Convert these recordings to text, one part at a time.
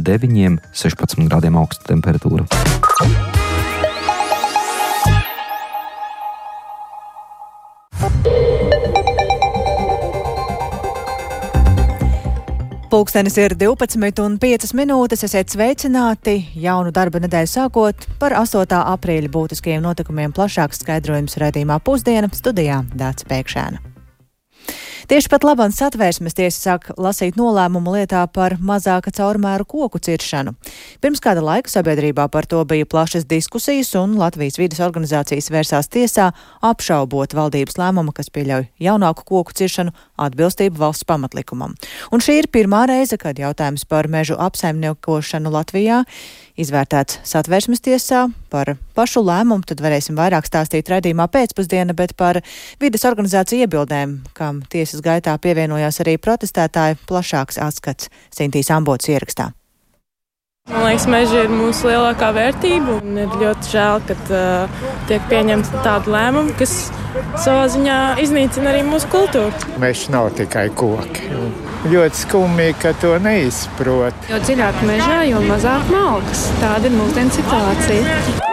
9–16 grādiem augsta temperatūra. Pulkstenis ir 12:05. Esiet sveicināti. Jaunu darba nedēļu sākot par 8. aprīļa būtiskajiem notikumiem plašāks skaidrojums raidījumā Pusdiena studijā Dāca Pēkšēna. Tieši pat labāk Satversmes tiesa sāk lasīt nolēmumu lietā par mazāka caurmēru koku ciršanu. Pirms kāda laika sabiedrībā par to bija plašas diskusijas, un Latvijas vides organizācijas vērsās tiesā apšaubot valdības lēmumu, kas pieļauj jaunāku koku ciršanu atbilstību valsts pamatlikumam. Un šī ir pirmā reize, kad jautājums par mežu apsaimniekošanu Latvijā izvērtēts Satversmes tiesā. Par pašu lēmumu tad varēsim vairāk stāstīt raidījumā Pēcpusdiena, bet par vides organizāciju iebildēm, kam tiesas gaitā pievienojās arī protestētāji, plašāks atskats Sintīs Ambotas ierakstā. Man liekas, meži ir mūsu lielākā vērtība, un ir ļoti žēl, ka tiek pieņemta tāda lēmuma, kas savā ziņā iznīcina arī mūsu kultūru. Meži nav tikai koki. Ļoti skumji, ka to neizprot. Jo dziļāk mežā, jo mazāk malkas. Tāda ir mūsdienu situācija.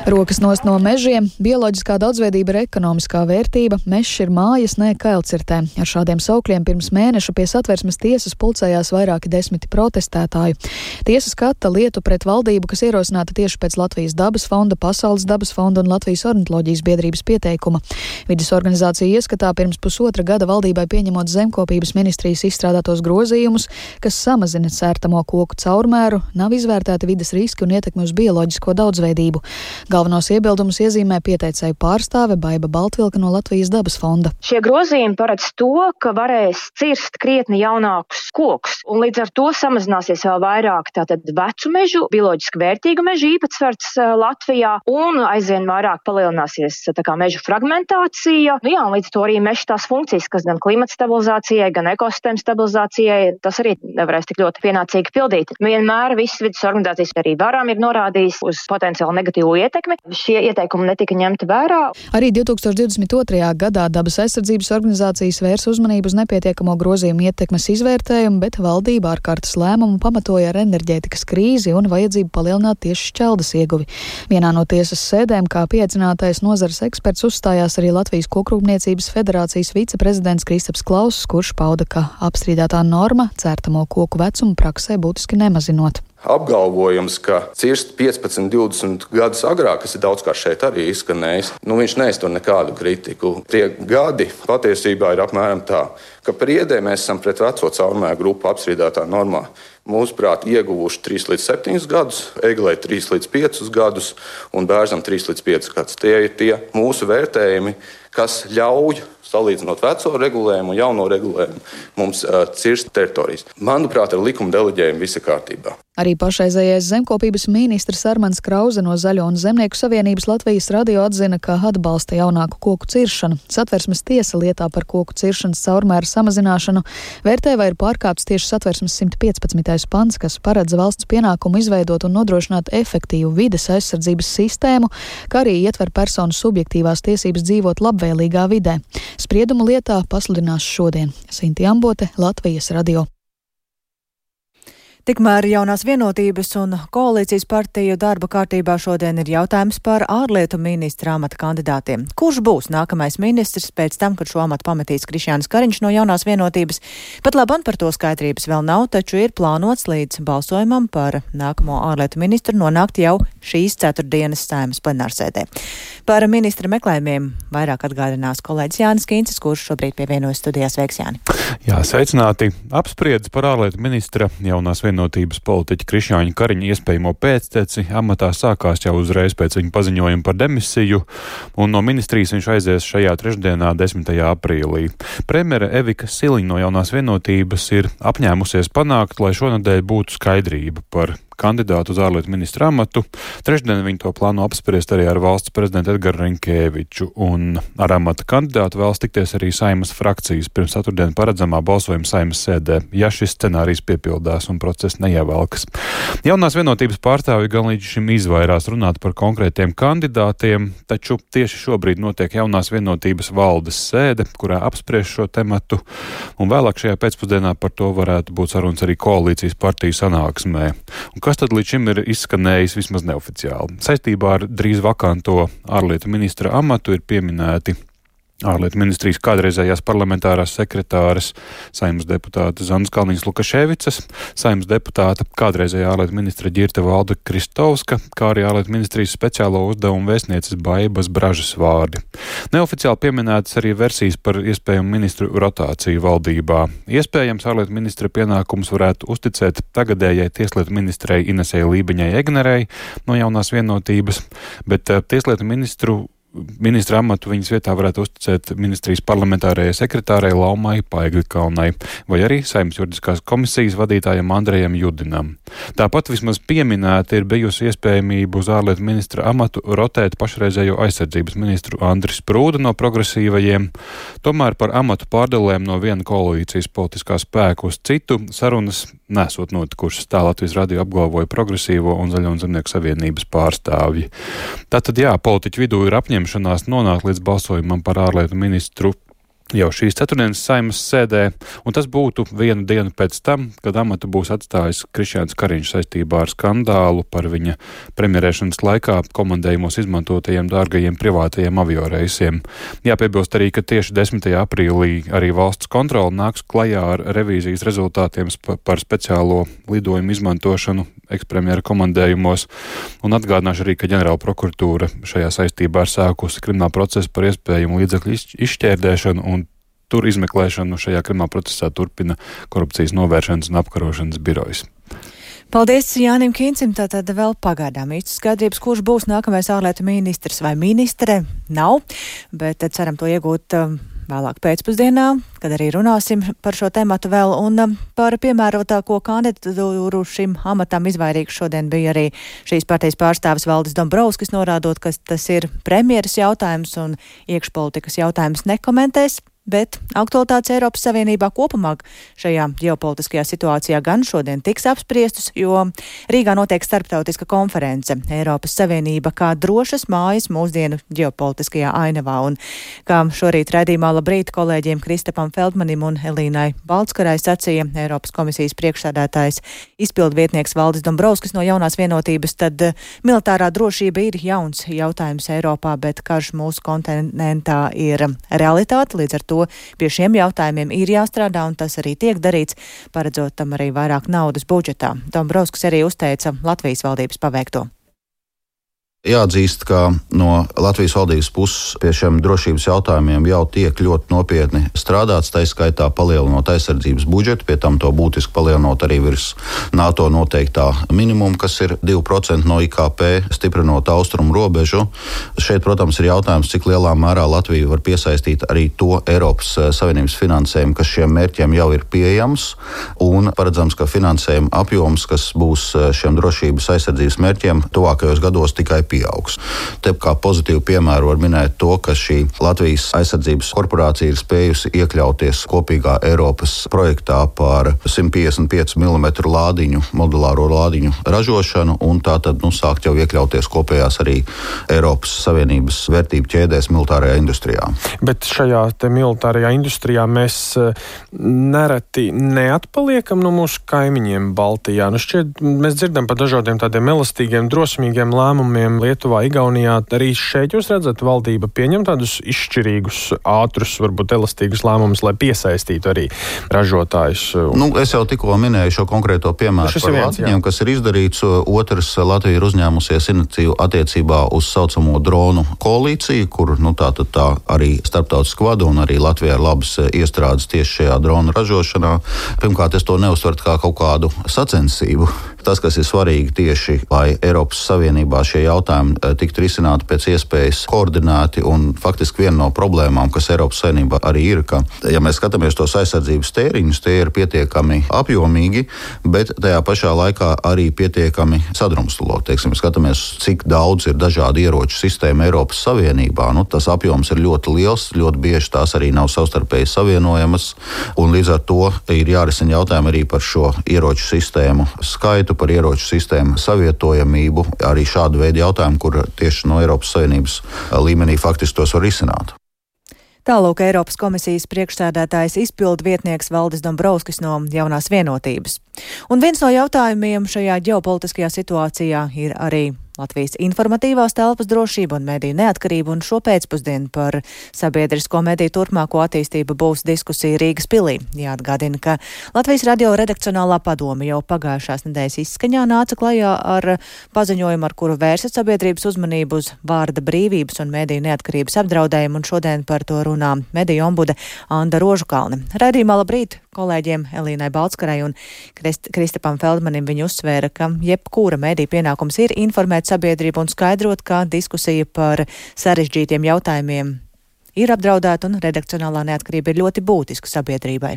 Rokas nost no mežiem, bioloģiskā daudzveidība ir ekonomiskā vērtība, mežs ir mājas, ne kailcirtē. Ar šādiem saukļiem pirms mēneša pie Satversmes tiesas pulcējās vairāki desmiti protestētāju. Tiesa skata lietu pret valdību, kas ierosināta tieši pēc Latvijas dabas fonda, Pasaules dabas fonda un Latvijas ornitoloģijas biedrības pieteikuma. Vides organizācija ieskatā pirms pusotra gada valdībai pieņemot zemkopības ministrijas izstrādātos grozījumus, kas samazina cērtamo koku caurmēru, nav izvērtēti vides riski un ietekmi uz bioloģisko daudzveidību. Galvenos iebildumus iezīmē pieteicēju pārstāve Baiba Baltvilka no Latvijas dabas fonda. Šie grozījumi paredz to, ka varēs cirst krietni jaunākus kokus, un līdz ar to samazināsies vēl vairāk tātad vecu mežu, bioloģiski vērtīgu mežu īpatsvars Latvijā, un aizvien vairāk palielināsies mežu fragmentācija. Un līdz to arī meža tās funkcijas, kas gan klimata stabilizācijai, gan ekosistēmas stabilizācijai, tas arī nevarēs tik ļoti pienācīgi pildīt. Vienmēr visas vides organizācijas arī varam ir norādījis uz potenciāli negatīvu ietekmi. Šie ieteikumi netika ņemti vērā. Arī 2022. gadā dabas aizsardzības organizācijas vērs uzmanību uz nepietiekamo grozījumu ietekmes izvērtējumu, bet valdība ārkārtas lēmumu pamatoja ar enerģētikas krīzi un vajadzību palielināt tieši šķeldas ieguvi. Vienā no tiesas sēdēm, kā pieaicinātais nozares eksperts, uzstājās arī Latvijas Kokrūpniecības federācijas viceprezidents Kristaps Klauss, kurš pauda, ka apstrīdētā norma cērtamo koku vecumu praksē būtiski nemazinot. Apgalvojums, ka cirst 15–20 gadus agrāk, kas ir daudzkārt šeit arī izskanējis, viņš neiztur nekādu kritiku. Tie gadi patiesībā ir apmēram tā, ka priedē mēs esam pret veco caurmēru grupu apstrīdētā normā. Mūsuprāt, ieguvuši 3–7 gadus, eglē 3–5 gadus un bērzam 3–5 gadus. Tie ir tie mūsu vērtējumi, kas ļauj, salīdzinot veco regulējumu un jauno regulējumu, mums cirst teritorijas. Manuprāt, ar likuma deleģējumu visa kārtībā. Arī pašreizējais zemkopības ministrs Armands Krause no Zaļo un Zemnieku savienības Latvijas radio atzina, ka atbalsta jaunāku koku ciršanu. Satversmes tiesa lietā par koku ciršanas caurmēru samazināšanu vērtē, vai ir pārkāpts tieši Satversmes 115. pants, kas paredz valsts pienākumu izveidot un nodrošināt efektīvu vides aizsardzības sistēmu, kā arī ietver personu subjektīvās tiesības dzīvot labvēlīgā vidē. Spriedumu lietā pasludinās šodien. Sintī Ambote, Latvijas radio. Tikmēr Jaunās vienotības un koalīcijas partiju darba kārtībā šodien ir jautājums par ārlietu ministra amata kandidātiem. Kurš būs nākamais ministrs pēc tam, kad šo amatu pametīs Krišjānis Kariņš no Jaunās vienotības? Pat labam par to skaidrības vēl nav, taču ir plānots līdz balsojumam par nākamo ārlietu ministru nonākt jau šīs ceturtdienas Saeimas plenārsēdē. Par ministra meklējumiem vairāk atgādinās kolēģis Jānis Kīncis, kurš šobrīd pievienojas studijā. Sveiks, Jāni! Jā, sveicināti! Apspriedis par ārlietu ministra Jaunās vienotības politiķa Krišjāņa Kariņa iespējamo pēcteci amatā sākās jau uzreiz pēc viņa paziņojuma par demisiju, un no ministrijas viņš aizies šajā trešdienā, 10. aprīlī. Premjere Evika Siliņa no Jaunās vienotības ir apņēmusies panākt, lai šonedēļ būtu skaidrība par kandidātu uz ārlietu ministra amatu. Trešdien viņi to plāno apspriest arī ar valsts prezidentu Edgaru Rinkēviču, un ar amata kandidātu vēlas tikties arī Saeimas frakcijas pirms ceturtdien paredzamā balsojuma Saeimas sēdē, ja šis scenārijs piepildās un process neievelkas. Jaunās vienotības pārstāvji gan līdz šim izvairās runāt par konkrētiem kandidātiem, taču tieši šobrīd notiek Jaunās vienotības valdes sēde, kurā apspriež šo tematu, un vēlāk šajā pēcpusdienā par to varētu būt sarunas arī koalīcijas partiju sanāksmē. Un kas tad līdz šim ir izskanējis vismaz neoficiāli? Saistībā ar drīz vakanto ārlietu ministra amatu ir pieminēti ārlietu ministrijas kādreizējās parlamentārās sekretāres, Saeimas deputāta Zanas Kalniņas-Lukaševicas, Saeimas deputāta kādreizējā ārlietu ministra Ģirta Valda Kristovska, kā arī ārlietu ministrijas speciālo uzdevumu vēstnieces Baibas Bražas vārdi. Neoficiāli pieminētas arī versijas par iespējamu ministru rotāciju valdībā. Iespējams, ārlietu ministra pienākums varētu uzticēt tagadējai tieslietu ministrei Inesei Lībeņai Egnerei no Jaunās vienotības, bet tieslietu ministra amatu viņas vietā varētu uzticēt ministrijas parlamentārajai sekretārei Laumai Paigļkalnai vai arī Saeimas juridiskās komisijas vadītājam Andrejam Judinam. Tāpat vismaz pieminēta ir bijusi iespējamība uz ārlietu ministra amatu rotēt pašreizējo aizsardzības ministru Andris Sprūda no progresīvajiem. Tomēr par amatu pārdalēm no viena koalīcijas politiskā spēka uz citu sarunas nesot notikušas. Tā Latvijas radio apgalvoja Progresīvo un Zaļo un Zemnieku savienības pārstāvji. Tātad jā, politiķu vidū ir apņemšanās nonākt līdz balsojumam par ārlietu ministru jau šīs ceturtdienas Saeimas sēdē, un tas būtu vienu dienu pēc tam, kad amatu būs atstājis Krišjāns Kariņš saistībā ar skandālu par viņa premjerēšanas laikā komandējumos izmantotajiem dārgajiem privātajiem avioreisiem. Jāpiebilst arī, ka tieši 10. aprīlī arī valsts kontrole nāks klajā ar revīzijas rezultātiem par speciālo lidojumu izmantošanu ekspremjera komandējumos, un atgādināšu arī, ka ģenerāla prokuratūra šajā saistībā ir sākusi kriminālu procesu par iespējumu līdzekļu izšķērdēšanu, un tur izmeklēšanu šajā krimināla procesā turpina korupcijas novēršanas un apkarošanas birojas. Paldies Jānim Kīncim, tātad vēl pagaidām īsti skaidrības, kurš būs nākamais ārlietu ministrs vai ministre, nav, bet ceram to iegūt vēlāk pēcpusdienā, kad arī runāsim par šo tematu vēl, un par piemērotāko kandidatūru šim amatam izvairīgs šodien bija arī šīs partijas pārstāvis Valdis Dombrovskis, norādot, ka tas ir premjeras jautājums un iekšpolitikas jautājums nekomentēs. Bet aktualitātes Eiropas Savienībā kopumā šajā ģeopolitiskajā situācijā gan šodien tiks apspriestas, jo Rīgā notiek starptautiska konference Eiropas Savienība kā drošas mājas mūsdienu ģeopolitiskajā ainavā. Un kā šorīt raidījumā Labrīt kolēģiem Kristapam Feldmanim un Elīnai Baltskarai sacīja Eiropas komisijas priekšsēdētājs izpildvietnieks Valdis Dombrovskis no Jaunās vienotības, tad militārā drošība ir jauns jautājums Eiropā, bet karš mūsu kontinentā ir realitāte, līdz ar to pie šiem jautājumiem ir jāstrādā, un tas arī tiek darīts, paredzot tam arī vairāk naudas budžetā. Dombrovskis arī uzteica Latvijas valdības paveikto. Jāatzīst, ka no Latvijas valdības puses pie šiem drošības jautājumiem jau tiek ļoti nopietni strādāts, tā skaitā palielinot aizsardzības budžetu, pie tam to būtiski palielinot arī virs NATO noteiktā minimuma, kas ir 2% no IKP, stiprinot austrumu robežu. Šeit, protams, ir jautājums, cik lielā mērā Latvija var piesaistīt arī to Eiropas Savienības finansējumu, kas šiem mērķiem jau ir pieejams, un paredzams, ka finansējuma apjoms, kas būs šiem drošības aizsardzības mērķiem, tuvākajos gados tikai pieaugs. Te kā pozitīvu piemēru var minēt to, ka šī Latvijas aizsardzības korporācija ir spējusi iekļauties kopīgā Eiropas projektā par 155 mm lādiņu, modulāro lādiņu ražošanu, un tātad sākt jau iekļauties kopējās arī Eiropas Savienības vērtību ķēdēs militārajā industrijā. Bet šajā te militārajā industrijā mēs nereti neatpaliekam no mūsu kaimiņiem Baltijā. Šķiet, mēs dzirdam par dažādiem tādiem elastīgiem, drosmīgiem lēmumiem Lietuvā, Igaunijā. Arī šeit jūs redzat, valdība pieņem tādus izšķirīgus, ātrus, varbūt elastīgus lēmumus, lai piesaistītu arī ražotājus. Es jau tikko minēju šo konkrēto piemēru par Latviņiem, kas ir izdarīts. Otrs, Latvija ir uzņēmusies iniciatīvu attiecībā uz saucamo dronu koalīciju, kur tā arī starptautiski vada un arī Latvijā ir labas iestrādes tieši šajā dronu ražošanā. Pirmkārt, es to neuztvertu kā kaut kādu sacensību. Tas, kas ir svarīgi tieši, lai Eiropas Savienībā šie jautājumi tiktu risināti pēc iespējas koordinēti, un faktiski viena no problēmām, kas Eiropas Savienībā arī ir, ka, ja mēs skatāmies tos aizsardzības tēriņus, tie ir pietiekami apjomīgi, bet tajā pašā laikā arī pietiekami sadrumstaloti. Teiksim, skatāmies, cik daudz ir dažādu ieroču sistēmu Eiropas Savienībā. Tas apjoms ir ļoti liels, ļoti bieži tās arī nav savstarpēji savienojamas, un līdz ar to ir jārisina jautājumi arī par šo ieroču sistēmu skaitu, par ieroču sistēmu savietojamību, arī šādu veidu jautājumu, kur tieši no Eiropas Savienības līmenī faktiski tos var risināt. Tālūk Eiropas komisijas priekšsēdētājs izpildu vietnieks Valdis Dombrovskis no Jaunās vienotības. Un viens no jautājumiem šajā ģeopolitiskajā situācijā ir arī Latvijas informatīvās telpas drošība un mediju neatkarība, un šo pēcpusdienu par sabiedrisko mediju turpmāko attīstību būs diskusija Rīgas pilī. Jāatgādina, ka Latvijas radio redakcionālā padome jau pagājušās nedēļas izskaņā nāca klajā ar paziņojumu, ar kuru vērsat sabiedrības uzmanību uz vārda brīvības un mediju neatkarības apdraudējumu, un šodien par to runā mediju ombude Anda Rožukalne. Raidījumā labrīt kolēģiem Elīnai Balckarai un Kristapam Feldmanim. Viņi uzsvēra, ka jebkura mediju pienākums ir informēt sabiedrību un skaidrot, ka diskusija par sarežģītiem jautājumiem ir apdraudēta un redakcionālā neatkarība ir ļoti būtiska sabiedrībai.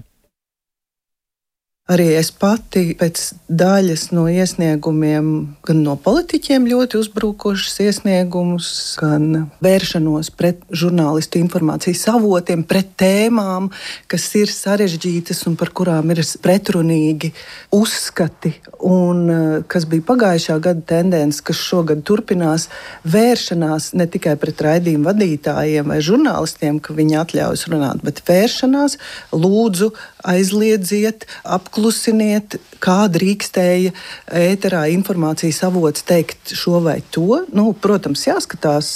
Arī es pati pēc daļas no iesniegumiem, gan no politiķiem ļoti uzbrukošas iesniegumus, gan vēršanos pret žurnālistu informācijas avotiem, pret tēmām, kas ir sarežģītas un par kurām ir pretrunīgi uzskati, un kas bija pagājušā gada tendence, kas šogad turpinās, vēršanās ne tikai pret raidījumu vadītājiem vai žurnālistiem, ka viņi atļaujas runāt, bet vēršanās, lūdzu, aizliedziet, apklusiniet, kā drīkstēja ēterā informācijas avots teikt šo vai to. Protams, jāskatās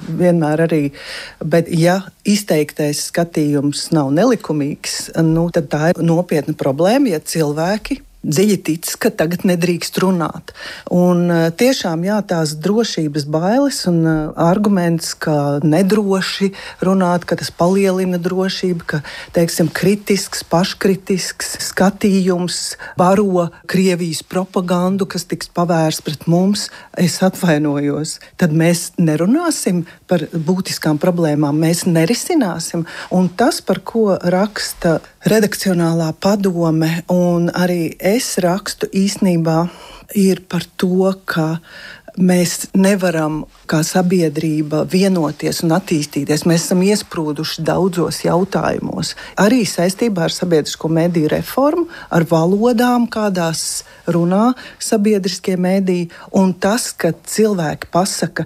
vienmēr arī, bet ja izteiktais skatījums nav nelikumīgs, tad tā ir nopietna problēma, ja cilvēki dziļi tic, ka tagad nedrīkst runāt. Un tiešām tās drošības bailes un arguments, ka nedroši runāt, ka tas palielina drošību, ka, teiksim, kritisks, paškritisks skatījums baro Krievijas propagandu, kas tiks pavērsts pret mums, es atvainojos. Tad mēs nerunāsim par būtiskām problēmām, mēs nerisināsim. Un tas, par ko raksta redakcionālā padome un arī es rakstu, īstenībā ir par to, ka mēs nevaram kā sabiedrība vienoties un attīstīties. Mēs esam iesprūduši daudzos jautājumos. Arī saistībā ar sabiedrisko mediju reformu, ar valodām, kādās runā sabiedriskie mediji, un tas, ka cilvēki pasaka,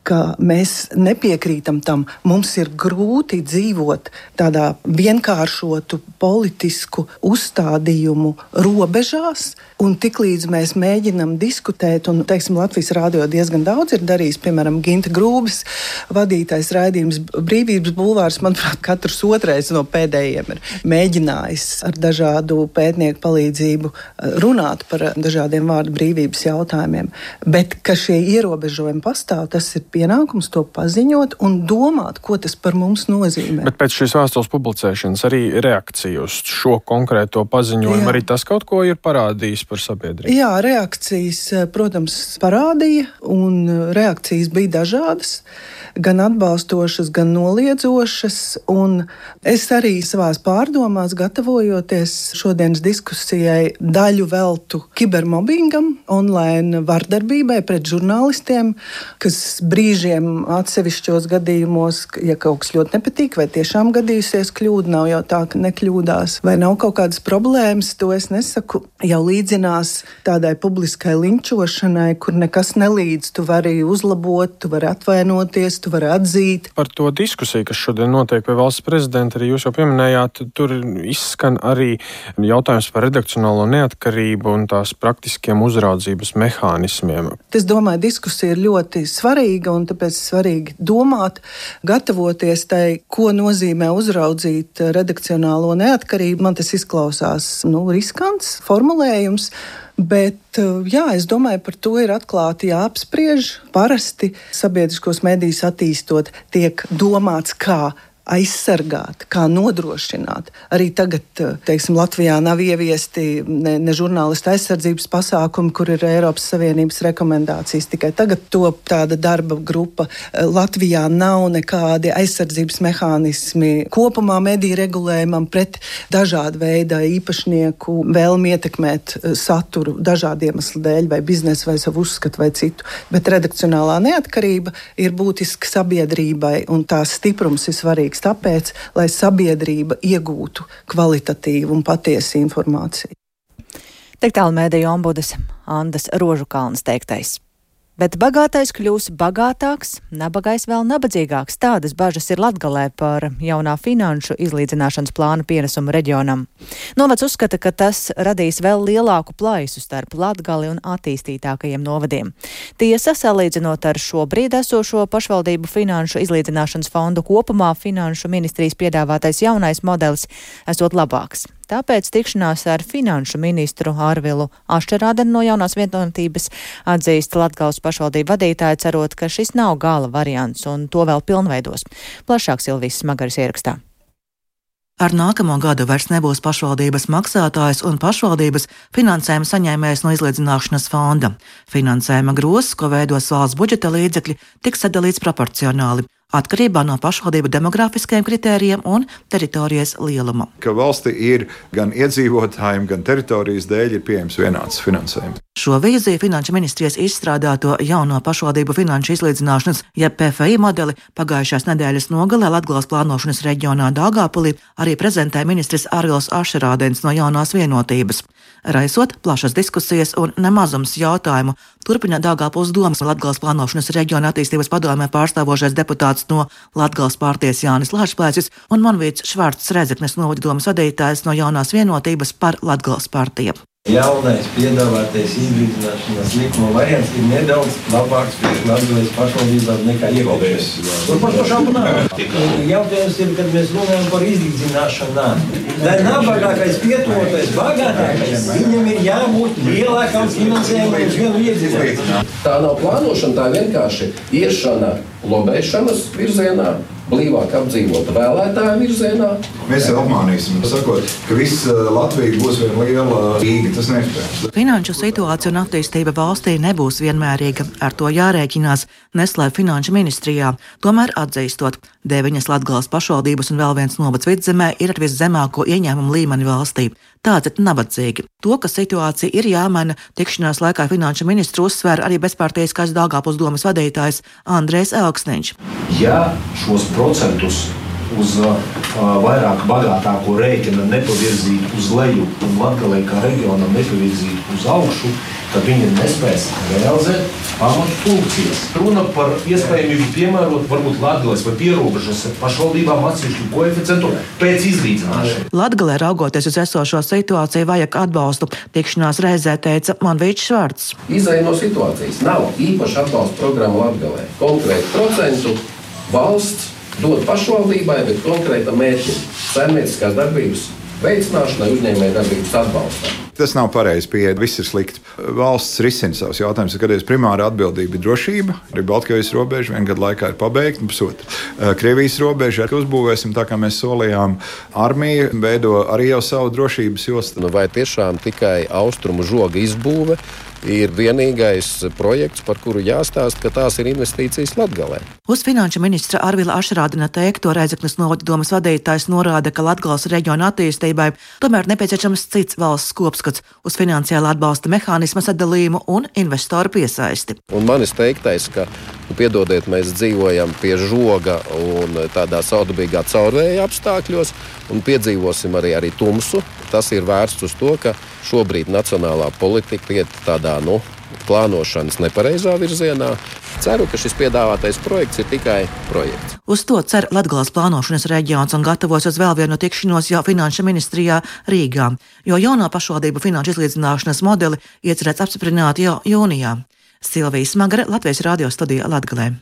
ka mēs nepiekrītam tam, mums ir grūti dzīvot tādā vienkāršotu politisku uzstādījumu robežās, un tiklīdz mēs mēģinam diskutēt, un, teiksim, Latvijas rādio diezgan daudz ir darījis, piemēram, Ginta Grūbis vadītais raidījums Brīvības bulvārs, manuprāt, katrs otrais no pēdējiem ir mēģinājis ar dažādu pētnieku palīdzību runāt par dažādiem vārdu brīvības jautājumiem, bet ka šie ierobežojumi pastāv, tas ir pienākums to paziņot un domāt, ko tas par mums nozīmē. Bet pēc šīs vēstules publicēšanas arī reakcija uz šo konkrēto paziņojumu, arī tas kaut ko ir parādījis par sabiedrību? Jā, reakcijas, protams, parādīja, un reakcijas bija dažādas, gan atbalstošas, gan noliedzošas, un es arī savās pārdomās, gatavojoties šodienas diskusijai, daļu veltu kibermobbingam, online vardarbībai pret žurnālistiem, kas brīžiem atsevišķos gadījumos, ja kaut kas ļoti nepatīk, vai tiešām gadījusies kļūda, nav jau tā, ka nekļūdās, vai nav kaut kādas problēmas, to es nesaku, jau līdzinās tādai publiskai linčošanai, kur nekas nelīdz, tu vari uzlabot, tu vari atvainoties, tu vari atzīt. Par to diskusiju, kas šodien notiek pie valsts prezidenta, arī jūs jau pieminējāt, tur izskan arī jautājums par redakcionālo neatkarību un tās praktiskiem uzraudzības mehānismiem. Es domāju, diskusija ir ļoti svarīga, un tāpēc svarīgi domāt, gatavoties tai, ko nozīmē uzraudzīt redakcionālo neatkarību. Man tas izklausās, riskants formulējums, bet, es domāju, par to ir atklāti jāapspriež. Parasti sabiedriskos medijus attīstot tiek domāts, kā aizsargāt, kā nodrošināt. Arī tagad, teiksim, Latvijā nav ieviesti ne žurnālistu aizsardzības pasākumi, kur ir Eiropas Savienības rekomendācijas. Tikai tagad top tāda darba grupa. Latvijā nav nekādi aizsardzības mehānismi kopumā mediju regulējumam pret dažādu veidu īpašnieku vēlmi ietekmēt saturu dažādu iemeslu dēļ, vai biznesu, vai savu uzskatu, vai citu. Bet redakcionālā neatkarība ir būtiska sabiedrībai, un tās stiprums ir svarīgs tāpēc, lai sabiedrība iegūtu kvalitatīvu un patiesu informāciju. Tik tālu mediju ombudes Andas Rožukalnas teiktais. Bet bagātais kļūs bagātāks, nabagais vēl nabadzīgāks. Tādas bažas ir Latgalē par jaunā finanšu izlīdzināšanas plāna pienesumu reģionam. Novads uzskata, ka tas radīs vēl lielāku plaisu starp Latgali un attīstītākajiem novadiem. Tiesa, salīdzinot ar šobrīd esošo pašvaldību finanšu izlīdzināšanas fondu kopumā, finanšu ministrijas piedāvātais jaunais modelis esot labāks. Tāpēc tikšanās ar finanšu ministru Arvilu Ašerādenu no Jaunās Vienotības atzīst Latgales pašvaldību vadītāji, cerot, ka šis nav gala variants un to vēl pilnveidos. Plašāk Silvijas Smagaras ierakstā. Ar nākamo gadu vairs nebūs pašvaldības maksātājs un pašvaldības finansējuma saņēmējs no izlīdzināšanas fonda. Finansējuma grozs, ko veidos valsts budžeta līdzekļi, tiks sadalīts proporcionāli, atkarībā no pašvaldību demografiskajiem kritērijiem un teritorijas lieluma. Ka valsti ir gan iedzīvotājiem, gan teritorijas dēļ ir pieejams vienāds finansējums. Šo vīziju Finanšu ministrijas izstrādāto jauno pašvaldību finanšu izlīdzināšanas, jeb PFI modeli pagājušās nedēļas nogalē Latgales plānošanas reģionā Daugavpilī arī prezentēja ministrs Arvils Ašerādens no Jaunās Vienotības. Raisot plašas diskusijas un nemazums jautājumu, turpina Daugavpils domas Latgales plānošanas reģiona attīstības padomē pārstāvošais deputāts no Latgales partijas Jānis Lāčplēcis un Monvīts Švarts Rēzeknes novada domas vadītājs no Jaunās Vienotības par Latgales partiju. Jaunais piedāvātais izlīdzināšanas likuma variants ir nedaudz labāks priekš Latgales pašvaldībām nekā iepriekšējais. Tur par to šaubu nav. Jautājums ir, kad mēs runājam par izlīdzināšanām. Lai nabagākais pietuvotais bagātākais, viņam ir jābūt lielākam finansējumam uz vienu iedzīvotāju. Tā nav plānošana, tā vienkārši iešana lobēšanas virzienā, blīvāk apdzīvota vēlētāju virzienā. Mēs jau apmānīsim, sakot, ka viss Latvija būs viena liela Rīga. Tas neiespējams. Finanšu situācija un attīstība valstī nebūs vienmērīga. Ar to jārēķinās, neslēp Finanšu ministrijā. Tomēr atzīstot, 9 Latgales pašvaldības un vēl viens novads Vidzemē ir ar viszemāko ieņēmumu līmeni valstī. Tātad nabadzīgi. To, ka situācija ir jāmaina, tikšanās laikā finanšu ministru uzsvēra arī bezpartijiskais Daugavpils domas vadītājs Andrejs Elksniņš. Ja šos procentus uz vairāk bagātāko rēķina nepavirzīt uz leju un Latgalei kā reģionam nepavirzīt uz augšu, tad viņi nespēs realizēt pamatu funkcijas. Runa par iespējamību piemērot varbūt Latgales vai pierobežas pašvaldībām atsevišķu koeficientu pēc izlīdzināšanas. Latgalē raugoties uz esošo situāciju vajag atbalstu. Tikšanās reizē teica Monvīts Švarts. Izēja no situācijas nav īpaša atbalsta programma Latgalē. Konkrētu procentu valsts dod pašvaldībai, bet konkrēta mērķim saimnieciskās darbības veicināšanai, uzņēmēju darbības atbalstam. Tas nav pareizi pieeja, viss ir slikti. Valsts risina savus jautājumus, kad primāra atbildība ir drošība. Arī Baltkrievijas robeža vienu gadu laikā ir pabeigta, Krievijas robeža uzbūvēsim tā, kā mēs solījām. Armija veido arī jau savu drošības jostu. Vai tiešām tikai austrumu žoga izbūve ir vienīgais projekts, par kuru jāstāst, ka tās ir investīcijas Latgalē? Uz finanšu ministra Arvila Ašerādena teikto Rēzeknes novada domas vadītājs norāda, ka Latgales reģiona attīstībai tomēr nepieciešams cits valsts kopskats uz finansiāla atbalsta mehānisma sadalījumu un investoru piesaisti. Un manis teiktais, ka, piedodiet, mēs dzīvojam pie žoga un tādā saudabīgā caurvēja apstākļos un piedzīvosim arī tumsu. Tas ir vērsts uz to, ka šobrīd nacionālā politika iet tādā, plānošanas nepareizā virzienā. Ceru, ka šis piedāvātais projekts ir tikai projekts. Uz to cer Latgales plānošanas reģions un gatavojas uz vēl vienu tikšanos jau finanšu ministrijā Rīgā, jo jauno pašvaldību finanšu izlīdzināšanas modeli iecerēts apstiprināt jau jūnijā. Silvija Smagare, Latvijas radio studija Latgalē.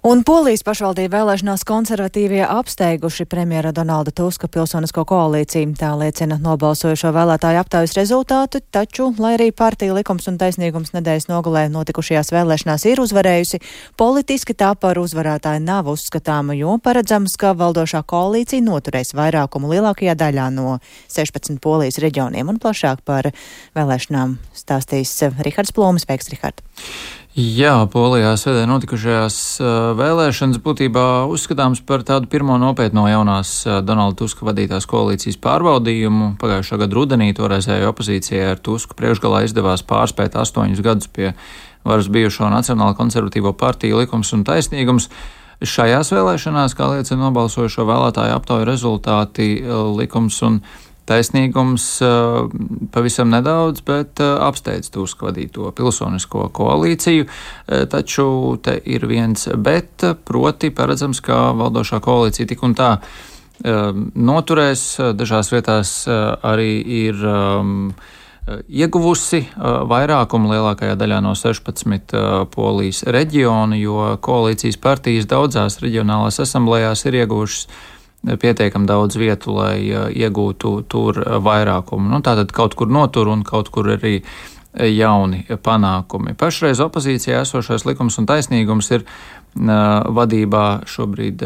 Un Polijas pašvaldību vēlēšanās konservatīvie apsteiguši premjera Donalda Tuska pilsonisko koalīciju. Tā liecina nobalsojušo vēlētāju aptaujas rezultātu, taču, lai arī partija Likums un taisnīgums nedēļas nogalē notikušajās vēlēšanās ir uzvarējusi, politiski tā par uzvarētāju nav uzskatāma, jo paredzams, ka valdošā koalīcija noturēs vairākumu lielākajā daļā no 16 Polijas reģioniem. Un plašāk par vēlēšanām stāstīs Rihards Plūmis. Sveiks, Rihard! Jā, Polijā svētdien notikušajās vēlēšanas būtībā uzskatāms par tādu pirmo nopietno jaunās Donalda Tuska vadītās koalīcijas pārbaudījumu. Pagājušā gada rudenī toreizējo opozīcijai ar Tusku priekšgalā izdevās pārspēt 8 gadus pie varas bijušo Nacionālo konservatīvo partiju Likums un taisnīgums. Šajās vēlēšanās, kā liecina nobalsojušo vēlētāju aptauju rezultāti, Likums un taisnīgums pavisam nedaudz, bet apsteidz Tuska vadīto pilsonisko koalīciju, taču te ir viens bet, proti paredzams, ka valdošā koalīcija tik un tā noturēs, dažās vietās arī ir ieguvusi vairākumu lielākajā daļā no 16 Polijas reģionu, jo koalīcijas partijas daudzās reģionālās asamblējās ir ieguvušas pietiekam daudz vietu, lai iegūtu tur vairākumu. Tātad kaut kur notur un kaut kur arī jauni panākumi. Pašreiz opozīcijā esošais Likums un taisnīgums ir vadībā šobrīd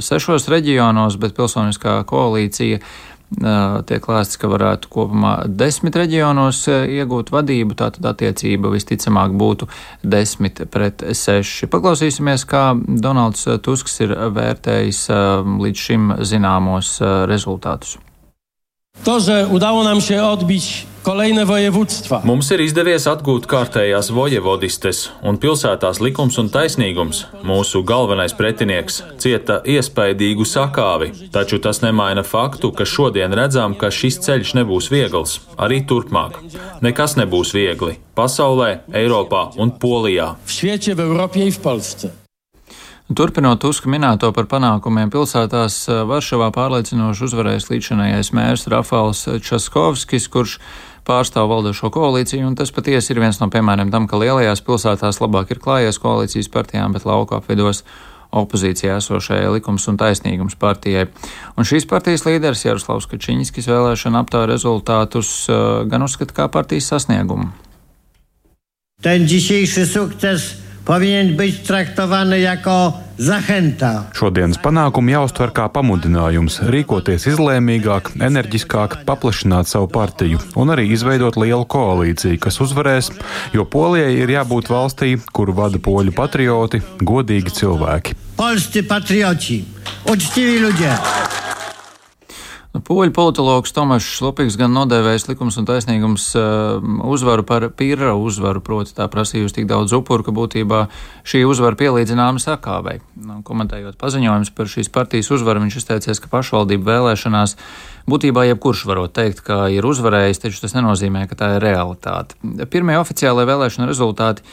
6 reģionos, bet pilsoniskā koalīcija tiek lēsts, ka varētu kopumā 10 reģionos iegūt vadību, tātad attiecība visticamāk būtu 10-6. Paklausīsimies, kā Donalds Tusks ir vērtējis līdz šim zināmos rezultātus. To, że udało nam się odbić kolejne województwa. Mums ir izdevies atgūt kārtējās vojevodistes, un pilsētās Likums un taisnīgums, mūsu galvenais pretinieks, cieta iespaidīgu sakāvi, taču tas nemaina faktu, ka šodien redzam, ka šis ceļš nebūs viegls, arī turpmāk. Nekas nebūs viegli pasaulē, Eiropā un Polijā. W świecie, w Europie i w Polsce. Turpinot Tuska minēto par panākumiem pilsētās, Varšavā pārliecinoši uzvarējis līdzinājais mērs Rafals Časkovskis, kurš pārstāv valdošo koalīciju, un tas patiesi ir viens no piemēriem tam, ka lielajās pilsētās labāk ir klājies koalīcijas partijām, bet lauku apvidos opozīcijā esošajai Likums un taisnīgums partijai. Un šīs partijas līderis Jaroslavs Kačiņskis vēlēšana aptauja rezultātus gan uzskata kā partijas sasniegumu. Ten dzisiejszy sukces powinien być traktowany jako zachęta. Šodienas panākumi jāuztver kā pamudinājums rīkoties izlēmīgāk, enerģiskāk, paplašināt savu partiju un arī izveidot lielu koalīciju, kas uzvarēs, jo Polijai ir jābūt valstī, kuru vada poļu patrioti, godīgi cilvēki. Polscy patrioci, uczciwi ludzie. Poļu politologs Tomašs Lupiks gan nodēvējis Likums un taisnīgums uzvaru par pirra uzvaru, proti tā prasījusi tik daudz upuru, ka būtībā šī uzvara pielīdzināma sakāvei. Komentējot paziņojums par šīs partijas uzvaru, viņš izteicies, ka pašvaldību vēlēšanās būtībā jebkurš varot teikt, ka ir uzvarējis, taču tas nenozīmē, ka tā ir realitāte. Pirmie oficiālai vēlēšana rezultāti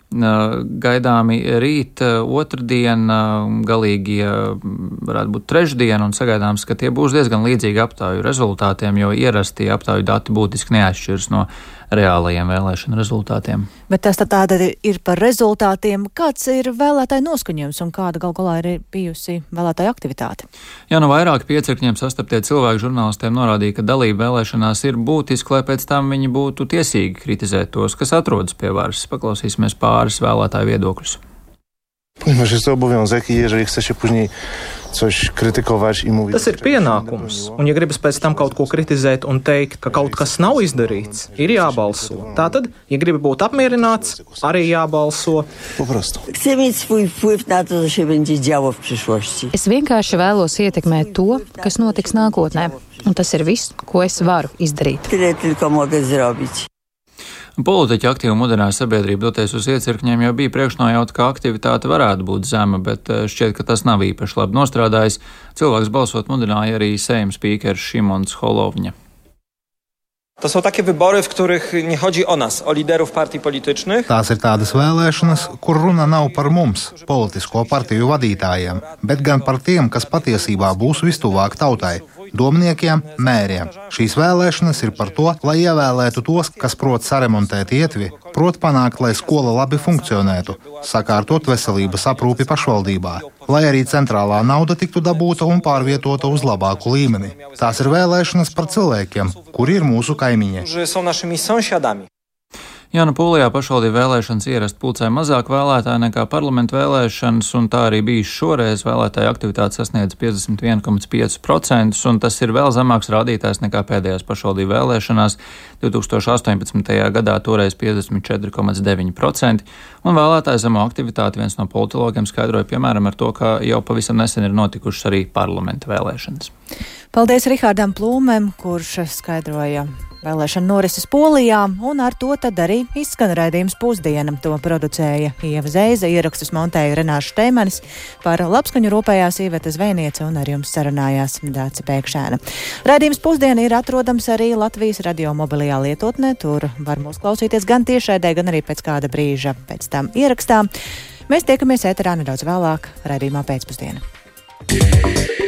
gaidāmi rīt, otrdien, galīgie varētu būt trešdien, un sagaidāms, ka tie būs diezgan līdzīgi aptauju rezultātiem, jo ierasti aptauju dati būtiski neatšķiras no reālajiem vēlēšanu rezultātiem. Bet tas tāda ir par rezultātiem. Kāds ir vēlētāju noskaņojums un kāda gal galā ir bijusi vēlētāju aktivitāte? Jā, no vairāk piecirkņiem sastaptie cilvēki žurnālistiem norādīja, ka dalība vēlēšanās ir būtiski, lai pēc tam viņi būtu tiesīgi kritizēt tos, kas atrodas pie varas. Paklausīsimies pāris vēlētāju viedokļus. Ponieważ jest to obowiązek i jeżeli chce się później coś krytykować i mówić... Tas ir pienākums, un ja gribas pēc tam kaut ko kritizēt un teikt, ka kaut kas nav izdarīts, ir jābalso. Tātad, ja gribi būt apmierināts, arī jābalso. Po prostu. Chcę mieć swój wpływ na to, co się będzie działo w przyszłości. Es vienkārši vēlos ietekmēt to, kas notiks nākotnē, un tas ir viss, ko es varu izdarīt. Tyle tylko mogę zrobić. Politiķi aktīvi mudināja sabiedrību doties uz iecirkņiem, jo bija priekšnojauta, ka aktivitāte varētu būt zema, bet šķiet, ka tas nav īpaši labi nostrādājis. Cilvēks balsot mudināja arī Sejma spīkers Šimons Holovņa. To są takie wybory, w których nie chodzi o nas, o liderów partii politycznych. Tās ir tādas vēlēšanas, kur runa nav par mums, politisko partiju vadītājiem, bet gan par tiem, kas patiesībā būs vistuvāk tautai. domniekiem, mēriem. Šīs vēlēšanas ir par to, lai ievēlētu tos, kas prot saremontēt ietvi, prot panākt, lai skola labi funkcionētu, sakārtot veselības aprūpi pašvaldībā, lai arī centrālā nauda tiktu dabūta un pārvietota uz labāku līmeni. Tās ir vēlēšanas par cilvēkiem, kuri ir mūsu kaimiņi. Jānu Pūlijā pašvaldību vēlēšanas ierast pulcē mazāk vēlētāju nekā parlamentu vēlēšanas, un tā arī bijis šoreiz. Vēlētāju aktivitāte sasniedz 51,5%, un tas ir vēl zemāks rādītājs nekā pēdējās pašvaldību vēlēšanās 2018. gadā, toreiz 54,9%, un vēlētāju zemo aktivitāti viens no politologiem skaidroja piemēram ar to, ka jau pavisam nesen ir notikušas arī parlamentu vēlēšanas. Paldies Rihārdam Plūmēm, kurš skaidroja vēlēšana norises Polijā, un ar to tad arī izskan raidījums Pusdiena. To producēja Ieva Zeiza, ierakstus montēja Renāša Šteimanis, par labskaņu rūpējās Iveta Zvejniece un ar jums sarunājās Dāce Pēkšēna. Raidījums Pusdiena ir atrodams arī Latvijas radio mobilajā lietotnē. Tur var mūs klausīties gan tiešraidē, gan arī pēc kāda brīža pēc tam ierakstā. Mēs tiekamies ēterā nedaudz vēlāk raidījumā Pēcpusdiena.